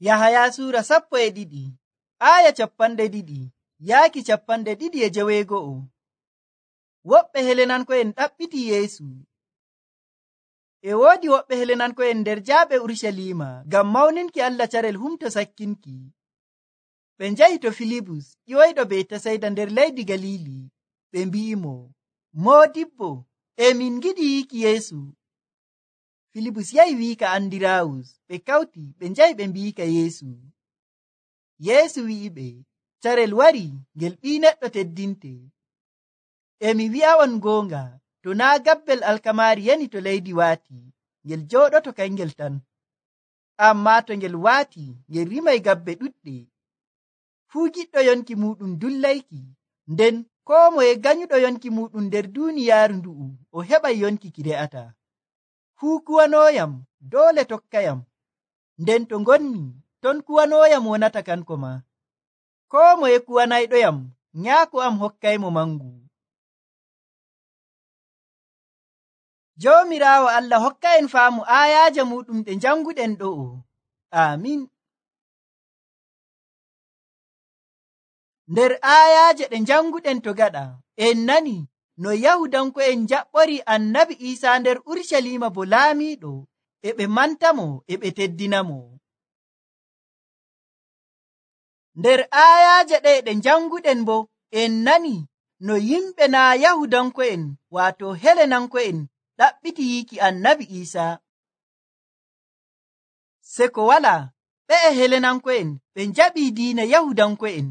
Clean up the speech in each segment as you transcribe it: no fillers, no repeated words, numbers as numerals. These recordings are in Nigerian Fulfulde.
Yahaya suura 12 aya 2 yaaki 2:20. Woɓɓe Helenanko'en ɗaɓɓiti Yeesu. E woodi woɓɓe Helenanko'en nder jaaɓe Urusalima ngam mawninki Allah carel humto sakkinki. Ɓe njahi to Filibus ƴiwoyɗo Betasayda nder leydi Galili. Ɓe mbi'imo, Moodibbo, min ngiɗi yiiki Yeesu. Filibus yahi wi'ika Andiraawus. Ɓe kawti ɓe njahi ɓe mbi'ika Yeesu. Yeesu wi'iɓe, carel wari ngel Ɓii Neɗɗo teddinte. Mi wi'a'on goonga, to naa gabbel alkamaari yani to leydi waati, ngel jooɗoto kangel tan. Ammaa to ngel waati, ngel rimay gabbe ɗuɗɗe. Fuu giɗɗo yonki muɗum dullayki, nden koo moye ganyuɗo yonki muɗum nder duuniyaaru ndu'u o heɓay yonki ki re'ata. Fuu kuwanooyam doole tokkayam, nden to ngonni ton kuwanooyam wonata kanko ma. Koo moye kuwanayɗoyam, nyaako am hokkaymo mangu. Joomiraawo Allah hokka en faamu aayaaje muɗum ɗe janguɗen ɗo'o. Amin. Nder aayaaje ɗe janguɗen to gaɗa, en nani no Yahudanko'en jaɓɓori Annabi Iisaa nder Urusalima bo laamiiɗo, e ɓe mantamo e ɓe teddinamo. Nder aayaaje ɗe janguɗen bo en nani no yimɓe naa Yahudanko'en waato Helenanko'en ɗaɓɓiti yiiki Annabi Iisaa. Se ko walaa ɓe'e Helenanko'en ɓe njaɓii diina Yahudanko'en.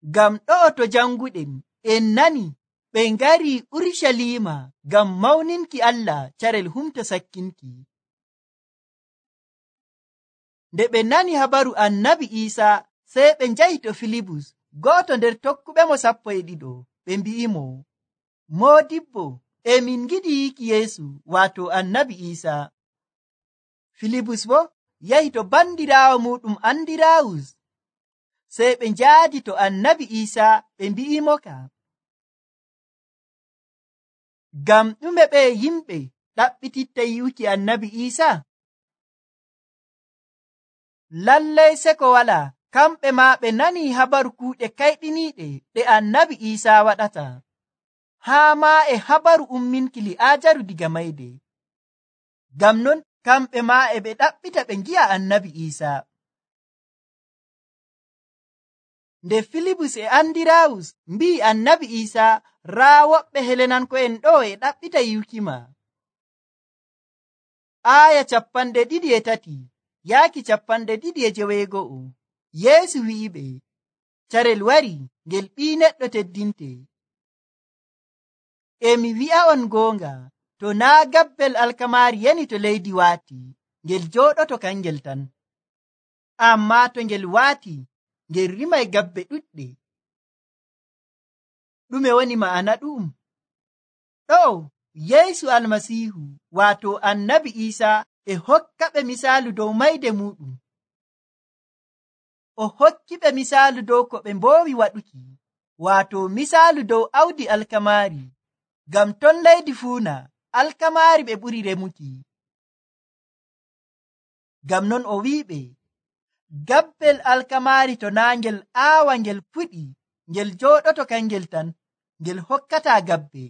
Ngam ɗo'o to janguɗen en nani ɓe ngari Urusalima ngam mawninki Allah carel humto sakkinki. Nde ɓe nani habaru Annabi Iisaa sey ɓe njahi to Filibus, go'oto nder tokkuɓemo 12. Ɓe mbi'imo, Moodibbo, min ngiɗi yiiki Yeesu waato Annabi Iisaa. Filibus bo yahi to bandiraawo muɗum Andiraawus. Sey ɓe njaadi to Annabi Iisaa ɓe mbi'imoka, ngam ɗume ɓe yimɓe ɗaɓɓititta yi'uki Annabi Iisaa? Lallay se ko walaa kamɓe maa ɓe nani habaru kuuɗe kayɗiniiɗe ɗe Annabi Iisaa waɗata, haa maa e habaru umminki Li'aajaru diga mayde. Ngam non kamɓe maa e ɓe ɗaɓɓita ɓe ngi'a Annabi Iisaa. Nde Filibus e Andiraawus mbi'i Annabi Iisaa, raa woɓɓe Helenanko'en ɗo e ɗaɓɓita yi'ukima. Aaya 23 yaaki 29. Yeesu wi'iɓe, carel wari ngel Ɓii Neɗɗo teddinte. Mi wi'a'on goonga, to naa gabbel alkamaari yani to leydi waati, ngel jooɗoto kangel tan. Ammaa to ngel waati, ngel rimay gabbe ɗuɗɗe. Ɗume woni ma'ana ɗum? Ɗo'o Yeesu Almasiihu waato Annabi Iisaa e hokkaɓe misaalu dow mayde muɗum. O hokkiɓe misaalu dow ko ɓe mboowi waɗuki, waato misaalu dow awdi alkamaari. Ngam ton leydi fuuna alkamaari ɓe ɓuri remuki. Ngam non o wi'iɓe, gabbel alkamaari to naa ngel aawa ngel fuɗi, ngel jooɗoto kangel tan, ngel hokkataa gabbe.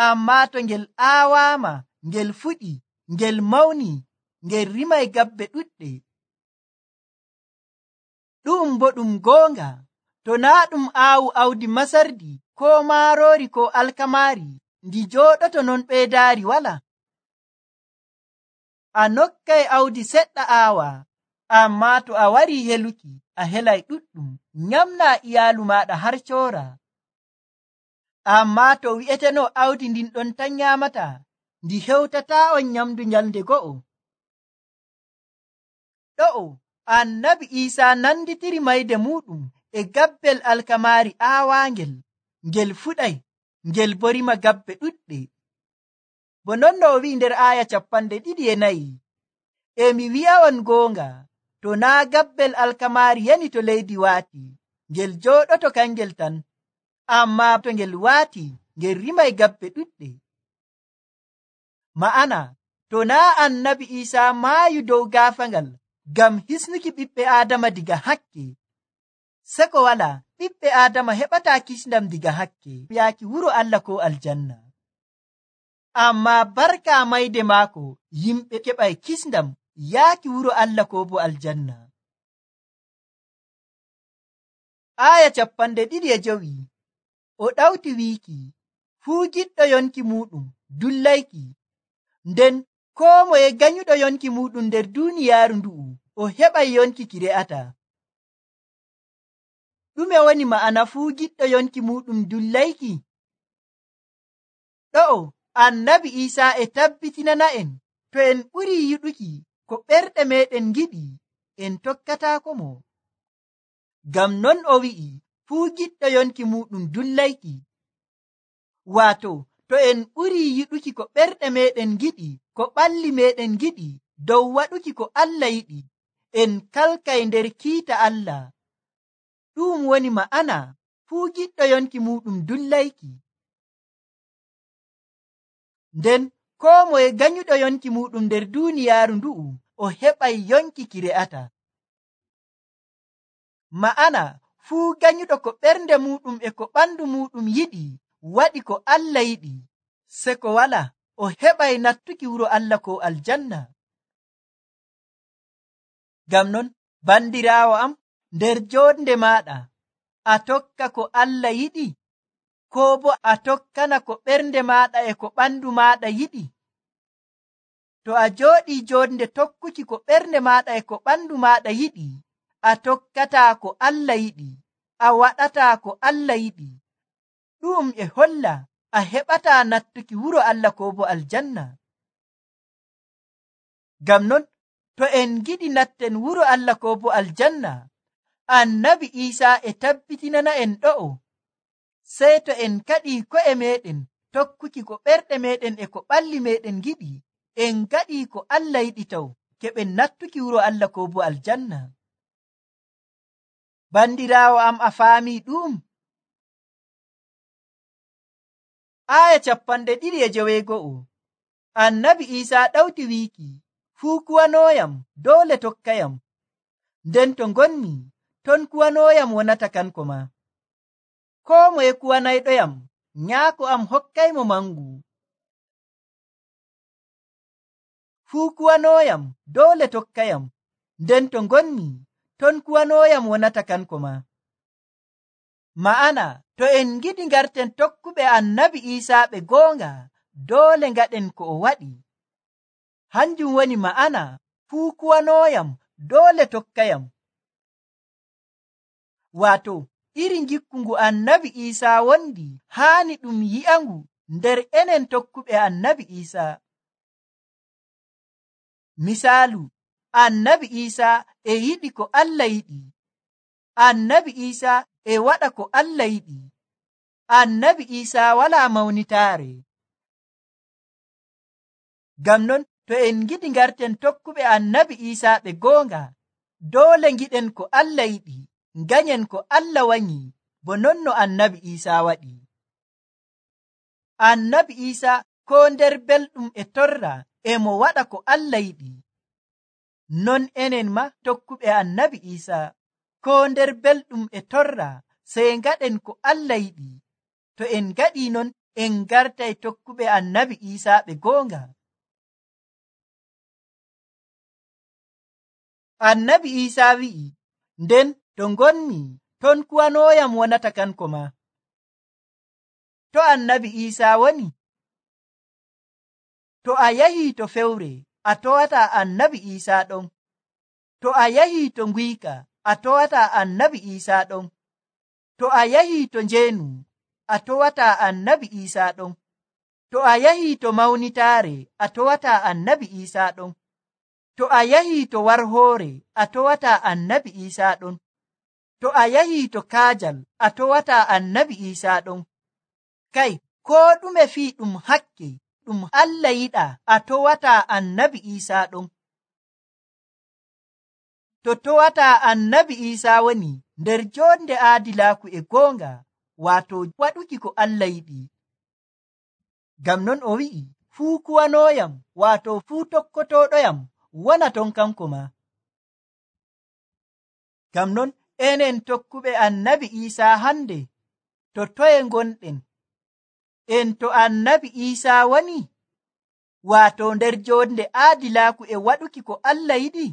Ammaa to ngel aawaama, ngel fuɗi, ngel mawni, ngel rimay gabbe ɗuɗɗe. Ɗum bo ɗum goonga, to naa ɗum aawu awdi masardi koo maaroori koo alkamaari, ndi jooɗoto non ɓeydaari wala. A nokkay awdi seɗɗa aawa, ammaa to a warii heluki, a helay ɗuɗɗum, nyamnaa iyaalu maaɗa har coora. Ammaa to wi'eteno awdi ndin ɗon tan nyaamata, ndi hewtataa on nyamdu nyalnde go'o. Ɗo'o Annabi Iisaa nanditiri mayde muɗum e gabbel alkamaari aawaangel, ngel fuɗay, ngel bo rima gabbe ɗuɗɗe. Bo non no o wi'i nder aaya 24, mi wi'a'on goonga, to naa gabbel alkamaari yani to leydi waati, ngel jooɗoto kangel tan, ammaa to ngel waati, ngel rimay gabbe ɗuɗɗe. Ma'ana, to naa Annabi Iisaa maayu dow gaafangal ngam hisnuki ɓiɓɓe Aadama diga hakke. Seko wala ɓiɓɓe Aadama heɓataa kisndam diga hakke yaaki wuro Allah ko aljanna. Amma barka mayde maako yimɓe keɓay kisndam yaaki wuro Allah ko bo aljanna. Aya 25 o ɗawti wiiki, fuu giɗɗo yonki muɗum dullayki, nden koo moye ganyuɗo yonki muɗum nder duuniyaaru ndu'u o heɓay yonki ki re'ata. Ɗume woni ma'ana fuu giɗɗo yonki muɗum dullayki? Ɗo'o Annabi Iisaa e tabbitinana'en to en ɓurii yiɗuki ko ɓerɗe meɗen giɗi en tokkataako mo. Ngam non o wi'i fuu giɗɗo yonki muɗum dullayki. Waato to en ɓurii yiɗuki ko ɓerɗe meɗen giɗi, ko ɓalli meɗen giɗi dow waɗuki ko Allah yiɗi, en kalkay nder kiita Allah. Ɗum woni ma'ana fuu giɗɗo yonki muɗum dullayki. Nden koo moye ganyuɗo yonki muɗum nder duuniyaaru ndu'u o heɓay yonki ki re'ata. Ma'ana fuu ganyuɗo ko ɓernde muɗum e ko ɓandu muɗum yiɗi waɗi ko Allah yiɗi, seko wala o heɓay nattuki wuro Allah ko aljanna. Ngam non bandiraawo am, nder joonde maaɗa a tokka ko Allah yiɗi, koo bo a tokkana ko ɓernde maaɗa e ko ɓandu maaɗa yiɗi? To a jooɗii joonde tokkuki ko ɓernde maaɗa e ko ɓandu maaɗa yiɗi, a tokkataa ko Allah yiɗi, a waɗataa ko Allah yiɗi. Ɗum e holla a heɓataa nattuki wuro Allah ko bo aljanna. Ngam non to en giɗi natten wuro Allah ko bo aljanna, Annabi Iisaa e tabbitinana en ɗo'o, sey to en kaɗii ko'e meɗen tokkuki ko ɓerɗe meɗen e ko ɓalli meɗen giɗi, en gaɗii ko Allah yiɗi taw keɓen nattuki wuro Allah ko bo aljanna. Bandiraawo am, a faamii ɗum? Aya 26 Annabi Iisaa ɗawti wiiki, fuu kuwanooyam doole tokkayam, nden to ngonmi ton kuwanooyam wonata kanko ma. Koo moye kuwanayɗoyam nyaako am hokkaymo mangu. Fuu kuwanooyam doole tokkayam, nden to ngonmi ton kuwanooyam wonata kanko ma. Ma'ana to en giɗi ngarten tokkuɓe Annabi Iisaa ɓe goonga, doole ngaɗen ko o waɗi. Hanjum woni ma'ana fuu kuwanooyam doole tokkayam. Waato iri ngikku ngu Annabi Iisaa wondi haani ɗum yi'angu nder enen tokkuɓe Annabi Iisaa. Misaalu, Annabi Iisaa e yiɗi ko Allah yiɗi. Annabi Iisaa e waɗa ko Allah yiɗi. Annabi Iisaa walaa mawnitaare. Ngam non to en giɗi ngarten tokkuɓe Annabi Iisaa ɓe goonga, doole ngiɗen ko Allah yiɗi, nganyen ko Allah wanyi, bo non no Annabi Iisaa waɗi. Annabi Iisaa koo nder belɗum e torra e mo waɗa ko Allah yiɗi. Non enen ma tokkuɓe Annabi Iisaa koo nder belɗum e torra sey ngaɗen ko Allah yiɗi. To en gaɗii non en gartay tokkuɓe Annabi Iisaa ɓe goonga. Annabi Iisaa wi'i, nden to ngonmi ton kuwanooyam wonata kanko ma. To Annabi Iisaa woni? To a yahii to fewre, a towataa Annabi Iisaa ɗon. To a yahii to nguyka, a towataa Annabi Iisaa ɗon. To a yahii to njeenu, a towataa Annabi Iisaa ɗon. To a yahii to mawnitaare, a towataa Annabi Iisaa ɗon. To a yahii to warhoore, a towataa Annabi Iisaa ɗon. To a yahii to kaajal, a towataa Annabi Iisaa ɗon. Kay, koo ɗume fii ɗum hakke ɗum Allah yiɗa, a towataa Annabi Iisaa ɗon. To towataa Annabi Iisaa woni nder joonde aadilaaku e goonga, waato waɗuki ko Allah yiɗi. Ngam non o wi'i, fuu kuwanooyam, waato fuu tokkotooɗoyam wona ton kanko ma. Ngam non enen tokkuɓe annabi Iisaa hande to toye gonɗen? En to annabi Iisaa woni? Waato nder jonde aadilaaku e waɗuki ko Allah yiɗi?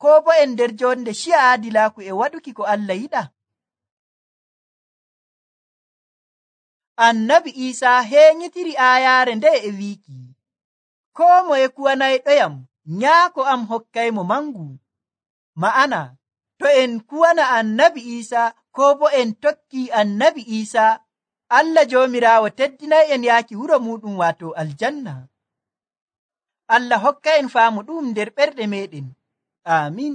Koo bo en nder jonde ciya aadilaaku e waɗuki ko Allah yiɗa? Annabi Iisaa heenyitiri aayaare nde e wiiki, koo moye kuwanayɗoyam, nyaako am hokkaymo mangu. Ma'ana, to en kuwana annabi Iisaa koo bo en tokki annabi Iisaa, Allah Joomiraawo teddinay en yaaki wuro muɗum waato aljanna. Allah hokka en faamu ɗum nder ɓerɗe meɗen. Aamin.